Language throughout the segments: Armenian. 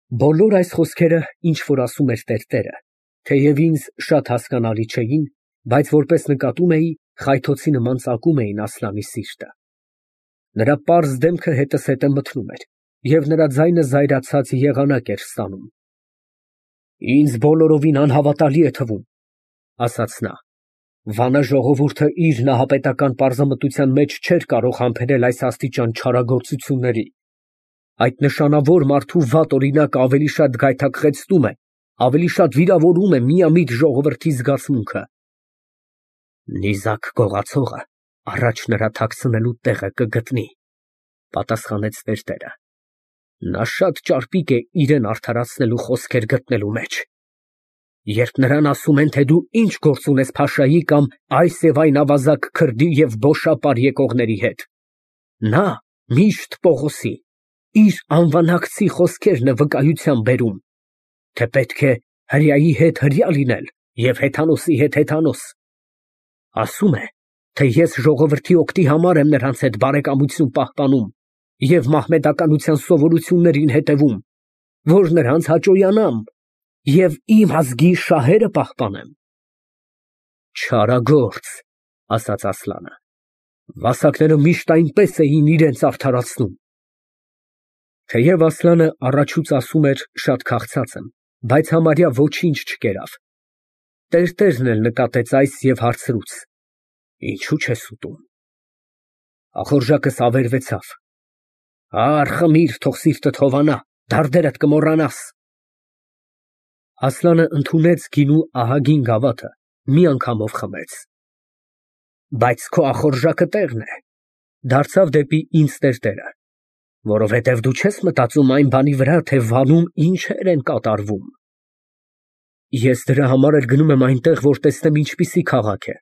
Բոլոր այս խոսքերը, ինչ որ ասում էր տերտերը, թեև ինձ շատ հասկանալի չէին, բայց որպես նկատում էի, խայթոցի նման ծակում էին Ասլանի սիրտը։ Նրա պարզ դեմքը հետզհետե մթնում էր, և նրա ձայնը զայրացած եղանակ էր ստանում։ «Ինձ բոլորովին անհավատալի է թվում», ֊ ասաց նա, ֊ «վանա ժողովուրդը իր նահապետական պարզամտության մեջ չէր կարող համբերել այս աստիճան չարագործությունների։ Այդ նշանավոր մարդու վատ օրինակը ավելի շատ գայթակղեցնում է, ավելի շատ վիրավորում է միամիտ ժողովրդի զգացմունքը»։ «Նիզակ գողացողը առաջ նրա թաքցնելու տեղը կգտնի», ֊ պատասխանեց տերտերը։ «Նա շատ ճարպիկ է իրան արդարացնելու խոսքեր գտնելու մեջ։ Երբ նրան ասում են, թե դու ինչ գործ ունես փաշայի կամ այս և այն ավազակ քրդի և բոշապար եկողների հետ, նա միշտ Պողոսի, իր անվանակցի խոսքերն է վկայության բերում, թե պետք է հրեայի հետ հրեա լինել և հեթանոսի հետ հեթանոս։ Ասում է, թե ես ժողովրդի օգտի համար եմ նրանց հետ բարեկամություն պահպանում և մահմեդականության սովորություններին հետևում, որ նրանց հաճոյանամ և իմ ազգի շահերը պահպանեմ»։ «Չարագործ», ֊ ասաց Ասլանը, ֊ «վասակները միշտ այնպես էին իրենց արդարացնում»։ Թեև Ասլանը առաջուց ասում էր շատ քաղցած եմ, բայց համարյա ոչինչ չկերավ։ Տերտերն էլ նկատեց այս և հարցրուց. «Ինչո՞ւ չես ուտում»։ Ախորժակս ավերվեցավ։ «Առ, խմիր, թող սիրտդ հովանա, դարդերդ կմոռանաս»։ Ասլանը ընդունեց գինու ահագին գավաթը, մի անգամով խմեց։ «Բայց քո ախորժակը տեղն է», ֊ դարձավ դեպի ինձ տերտերը, ֊ որովհետև դու չես մտածում այն բանի վրա, թե վանում ինչեր են կատարվում։ Ես դրա համար էլ գնում եմ այնտեղ, որ տեսնեմ ինչպիսի քաղաք է։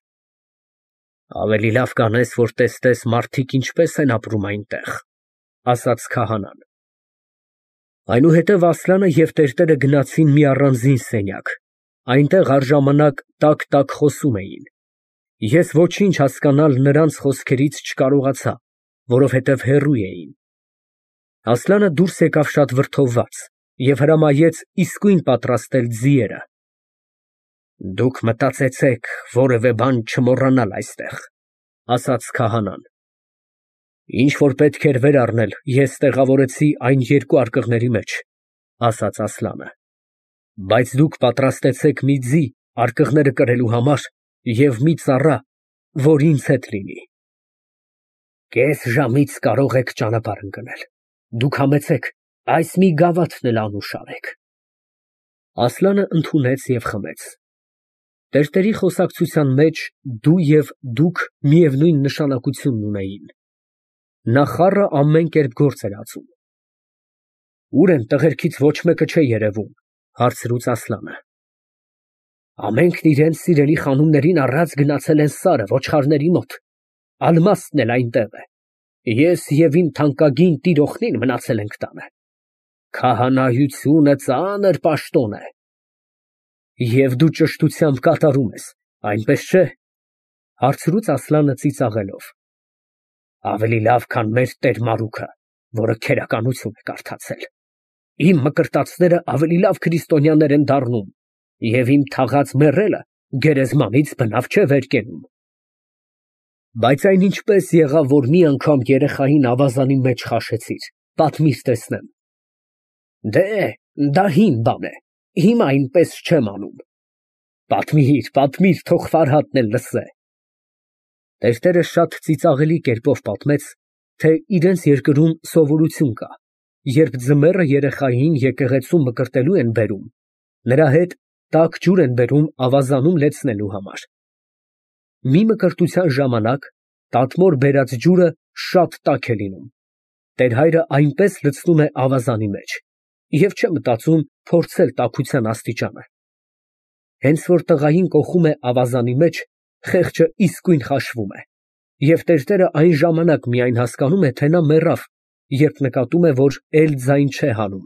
Ավելի լավ կանես, որ տեսնես մարդիկ ինչպես են ապրում այնտեղ, ֊ ասաց քահանան։ Այնուհետև Ասլանը և տերտերը գնացին մի առանձին սենյակ, այնտեղ առժամանակ տակ խոսում էին։ Ես ոչինչ հասկանալ նրանց խոսքերից չկարողացա, որովհետև հեռու էին։ Ասլանը դուրս եկավ շատ վրդովված և հրամայեց իսկույն պատրաստել ձիերը։ «Դուք մտածեցեք որևէ բան չմոռանալ այստեղ», ֊ ասաց քահանան։ «Ինչ որ պետք էր վեր առնել, ես տեղավորեցի այն երկու արկղների մեջ», ֊ ասաց Ասլանը։ «Բայց դուք պատրաստեցեք մի ձի արկղները կրելու համար և մի ծառա, որ ինձ հետ լինի։ Կես ժամից կարող եք ճանապարհ ընկնել։ Դուք համեցեք, այս մի գավաթն էլ անուշ արեք»։ Ասլանը ընդունեց և խմեց։ Տերտերի խոսակցության մեջ դու և դուք միևնույն նշանակությունն ունեին։ Նա խառը ամեն կերպ գործ էր ածում։ «Ո՞ւր են, տղերքից ոչ մեկը չէ երևում», ֊ հարցրուց Ասլանը։ «Ամենքն իրենց սիրելի խանումներին առած գնացել են սարը ոչխարների մոտ, ալմաստն էլ այնտեղ է, ես և իմ թանկագին տիրոջնին մնացել ենք տանը։ Քահանայությունը ծանր պաշտոն է։ Եվ դու ճշտությամբ կատարում ես, այնպես չէ՞, ֊ հարցրուց Ասլանը ծիծաղելով։ «Ավելի լավ, քան մեր տեր Մարուքը, որը քերականություն է կարդացել։ Իմ մկրտածները ավելի լավ քրիստոնյաներ են դառնում, և իմ թաղած մեռելը գերեզմանից բնավ չէ վեր կենում։ Բայց այն ինչպես եղավ, որ մի անգամ երեխային ավազանի մեջ քաշեցիր, պատմիր տեսնեմ»։ «Դե, դա հին բան է, հիմա այնպես չեմ անում»։ Պատմիր, թող Ֆարհադն էլ լսե։ Տերտերը շատ ծիծաղելի կերպով պատմեց, թե իրենց երկրում սովորություն կա, երբ ձմեռը երեխային եկեղեցու մկրտելու են բերում, նրա հետ տաք ջուր են բերում ավազանում լեցնելու համար։ Մի մկրտության ժամանակ տատմոր բերած ջուրը շատ տաք է լինում, տերհայրը այնպես լցնում է ավազանի մեջ և չէ մտածում փորձել տաքության աստիճանը։ Հենց որ տղային կոխում է ավազանի մեջ, խեղճը իսկույն խաշվում է, և տերտերը այն ժամանակ միայն հասկանում է, թե նա մեռավ, երբ նկատում է, որ էլ ձայն չէ հանում։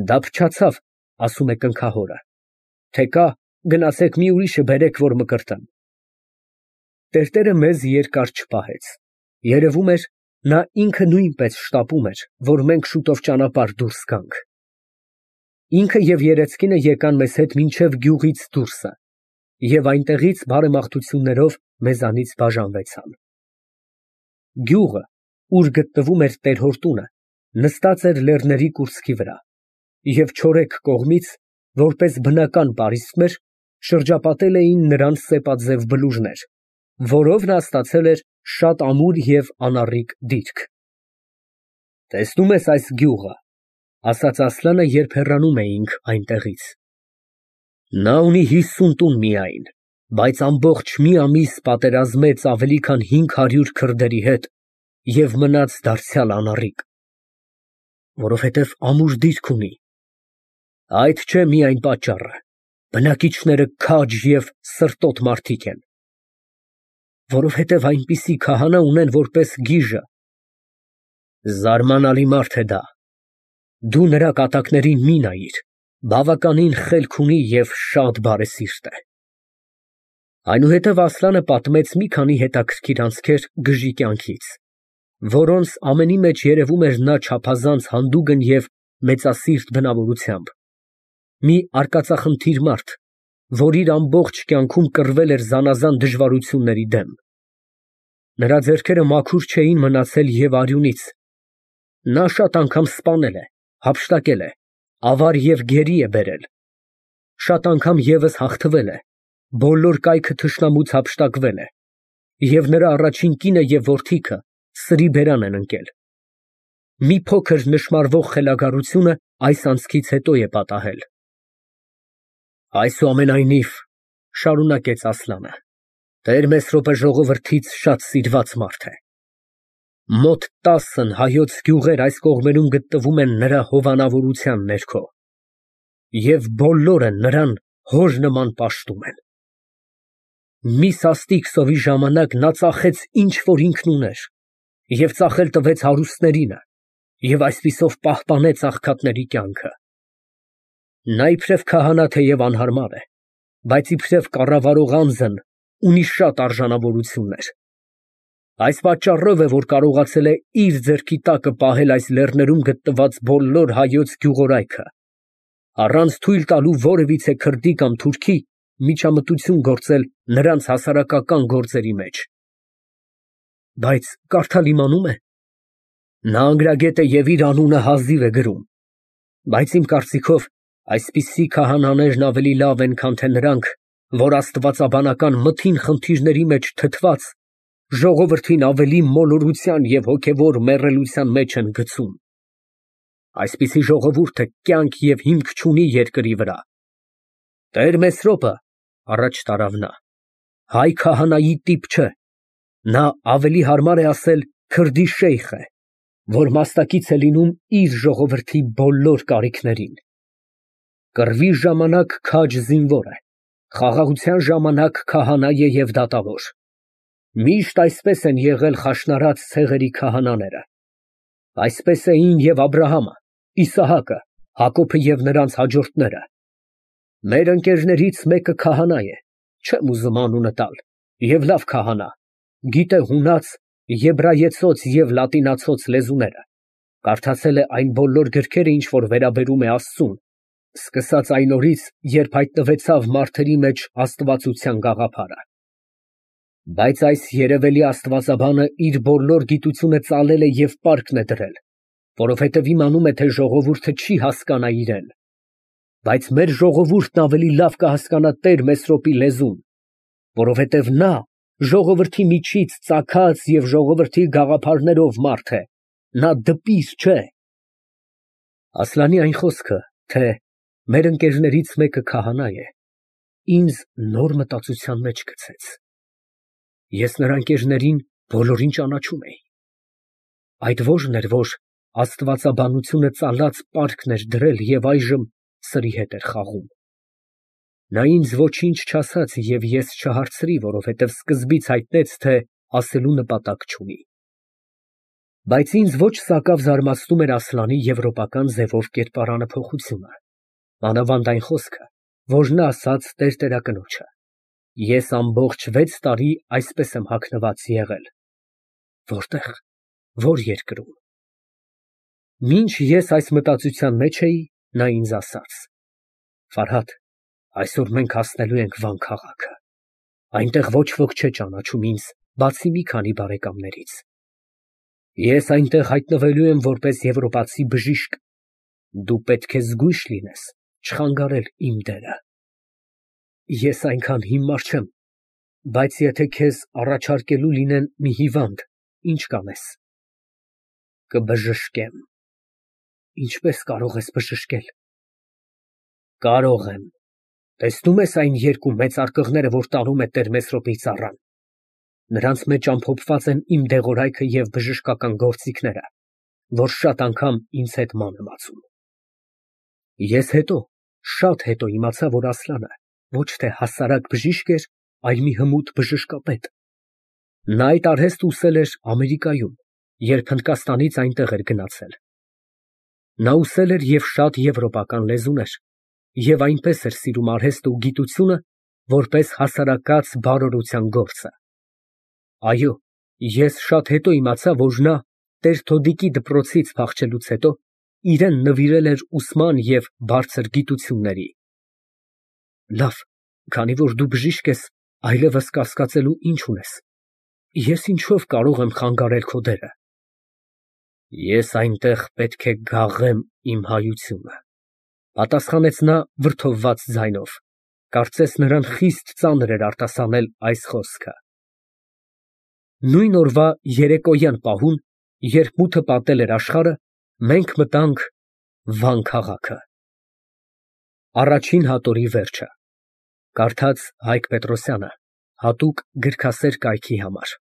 «Դա փչացավ», ֊ ասում է կնքահորը, ֊ թե կա, գնացեք մի ուրիշը բերեք, որ մկրտեմ։ Տերտերը մեզ երկար չպահեց։ Երևում էր, նա ինքը նույնպես շտապում էր, որ մենք շուտով ճանապարհ դուրս գանք։ Ինքը և երեծկինը եկան մեզ հետ մինչև գյուղից դուրսը և այնտեղից բարեմաղթություններով մեզանից բաժանվեցան։ Գյուղը, ուր գտնվում էր տեր֊հոր տունը, նստած էր լեռների կուրծքի վրա և չորեքս կողմից, որպես բնական պարիսպներ, շրջապատել էին նրան սեպաձև բլուրներ, որով նա ստացել էր շատ ամուր և անառիկ դիրք։ «Տեսնում ես այս գյուղը», ֊ ասաց Ասլանը, երբ հեռանում էինք այնտեղից. «նա ունի 50 տուն միայն, բայց ամբողջ մի ամիս պատերազմեց ավելի քան 500 քրդերի հետ և մնաց դարձյալ անառիկ։ Որովհետև ամուր դիրք ունի։ Այդ չէ միայն պատճառը, բնակիչները քաջ և սրտոտ մարդիկ են։ Որովհետև այնպիսի քահանա ունեն որպես գիժը։ Զարմանալի մարդ է դա։ Դու նրա կատակներին մի նայիր, բավականին խելք ունի և շատ բարեսիրտ է»։ Այնուհետև Ասլանը պատմեց մի քանի հետաքրքիր անցքեր գժի կյանքից, որոնց ամենի մեջ երևում էր նա չափազանց հանդուգն և մեծասիրտ բնավորությամբ, մի արկածախնդիր մարդ, որ իր ամբողջ կյանքում կռվել էր զանազան դժվարությունների դեմ։ Նրա ձեռքերը մաքուր չէին մնացել և արյունից, նա շատ անգամ սպանել է, հափշտակել է, ավար և գերի է բերել, շատ անգամ ևս հաղթվել է, բոլոր կայքը թշնամուց հափշտակվել է, և նրա առաջին կինը և որդիքը սրի բերան են ընկել։ Մի փոքր նշմարվող խելագարությունը այս անցքից հետո է պատահել։ «Այսուամենայնիվ, ֊ շարունակեց Ասլանը, ֊ Տեր Մեսրոպը ժողովրդից շատ սիրված մարդ է։ Մոտ 10 հայոց գյուղեր այս կողմերում գտնվում են նրա հովանավորության ներքո, և բոլորը նրան հոր նման պաշտում են։ Մի սաստիկ սովի ժամանակ նա ծախեց ինչ որ ինքն ուներ և ծախել տվեց հարուստներինը և այսպիսով պահպանեց աղքատների կյանքը։ Նա իբրև քահանա թեև անհարմար է, բայց իբրև կառավարող անձն ունի շատ արժանավորություններ։ Այս պատճառով է, որ կարողացել է իր ձեռքի տակը պահել այս լեռներում գտնված բոլոր հայոց գյուղորայքը, առանց թույլ տալու որևիցե քրդի կամ թուրքի միջամտություն գործել նրանց հասարակական գործերի մեջ։ Բայց կարդալ իմանում է։ Նա անգրագետ է և իր անունը հազիվ է գրում, բայց իմ կարծիքով այսպիսի քահանաներն ավելի լավ են, քան թե նրանք, որ աստվածաբանական մթին խնդիրների մեջ թթված, ժողովրդին ավելի մոլորության և հոգևոր մեռելության մեջ են գցում։ Այսպիսի ժողովուրդը կյանք և հիմք չունի երկրի վրա։ Տեր Մեսրոպը, ֊ առաջ տարավ նա, ֊ հայ քահանայի տիպ չէ, նա ավելի հարմար է ասել քրդի շեյխ է, որ մասնակից է լինում իր ժողովրդի բոլոր կարիքներին։ Կռվի ժամանակ քաջ զինվոր է, խաղաղության ժամանակ քահանա է և դատավոր։ Միշտ այսպես են եղել խաշնարած ցեղերի քահանաները։ Այսպես էին և Աբրահամը, Իսահակը, Հակոբը և նրանց հաջորդները։ Մեր ընկերներից մեկը քահանա է, չեմ ուզում անունը տալ, և լավ քահանա, գիտե հունաց, եբրայեցոց և լատինացոց լեզուները, կարդացել է այն բոլոր գրքերը, ինչ որ վերաբերում է Աստծուն, սկսած այն օրից, երբ հայտնվեցավ մարդերի մեջ աստվածության գաղափարը։ Բայց այս երևելի աստվածաբանը իր բոլոր գիտությունը ծալել է և պարկն է դրել, որովհետև իմանում է, թե ժողովուրդը չի հասկանա իրեն։ Բայց մեր ժողովուրդն ավելի լավ կհասկանա Տեր Մեսրոպի լեզուն, որովհետև նա ժողովրդի միջից ծագած և ժողովրդի գաղափարներով մարդ է, նա դպիր չէ։ Ասլանի այն խոսքը, թե մեր ընկերներից մեկը քահանա է, ինձ նոր մտածության մեջ գցեց։ Ես նրա ընկերներին բոլորին ճանաչում էի։ Այդ ո՞րն էր, որ աստվածաբանությունը ծալած պարկն էր դրել և այժմ սրի հետ էր խաղում։ Նա ինձ ոչինչ չասաց և ես չհարցրի, որովհետև սկզբից հայտնեց, թե ասելու նպատակ չունի։ Բայց ինձ ոչ սակավ զարմացնում էր Ասլանի եվրոպական ձևով կերպարանափոխությունը, մանավանդ այն խոսքը, որ նա ասաց տերտերակնոջը. «Ես ամբողջ 6 տարի այսպես եմ հագնված եղել»։ Որտե՞ղ, ո՞ր երկրում։ Մինչ ես այս մտածության մեջ էի, Նա ինձ ասաց. «Ֆարհադ, այսօր մենք հասնելու ենք Վան քաղաքը։ Այնտեղ ոչ ոք չէ ճանաչում ինձ, բացի մի քանի բարեկամներից։ Ես այնտեղ հայտնվելու եմ որպես եվրոպացի բժիշկ։ Դու պետք է զգույշ լինես չխանգարել իմ դերը։ Ես այնքան հիմար չեմ, բայց եթե քեզ առաջարկելու լինեն մի հիվանդ, ինչ կանես»։ Կբժշկեմ։ Ինչպես կարող ես բժշկել։ Կարող եմ։ Տեսնում ես այն երկու մեծ արկղները, որ տանում է տեր Մեսրոպի ծառան։ Նրանց մեջ ամփոփված են իմ դեղորայքը և բժշկական գործիքները, որ շատ անգամ ինձ հետ ման եմ ածում։ Ես հետո, շատ հետո իմացա, որ Ասլանը ոչ թե հասարակ բժիշկ էր, այլ մի հմուտ բժշկապետ։ Նա այդ արհեստը ուսել էր Ամերիկայում, երբ Հնդկաստանից այնտեղ էր գնացել։ Նա ուսել էր և շատ եվրոպական լեզուներ և այնպես էր սիրում արհեստը ու գիտությունը, որպես հասարակած բարօրության գործը։ Այո, ես շատ հետո իմացա, որ նա Տեր-Թոդիկի դպրոցից փախչելուց հետո իրեն նվիրել էր ուսման և բարձր գիտությունների։ Լավ, քանի որ դու բժիշկ ես, այլևս կասկածելու ինչ ունես։ Ես ինչով կարող եմ խանգարել քո դերը։ Ես այնտեղ պետք է գաղեմ իմ հայությունը, պատասխանեց նա վրդովված ձայնով, կարծես նրան խիստ ծանր էր արտասանել այս խոսքը։ Նույն օրվա երեկոյան պահուն, երբ մութը պատել էր աշխարհը, մենք մտանք Վան քաղաքը։ Առաջին հատորի վերջը։ Կարդաց Հայկ Պետրոսյանը, հատուկ գրքասեր կայքի համար։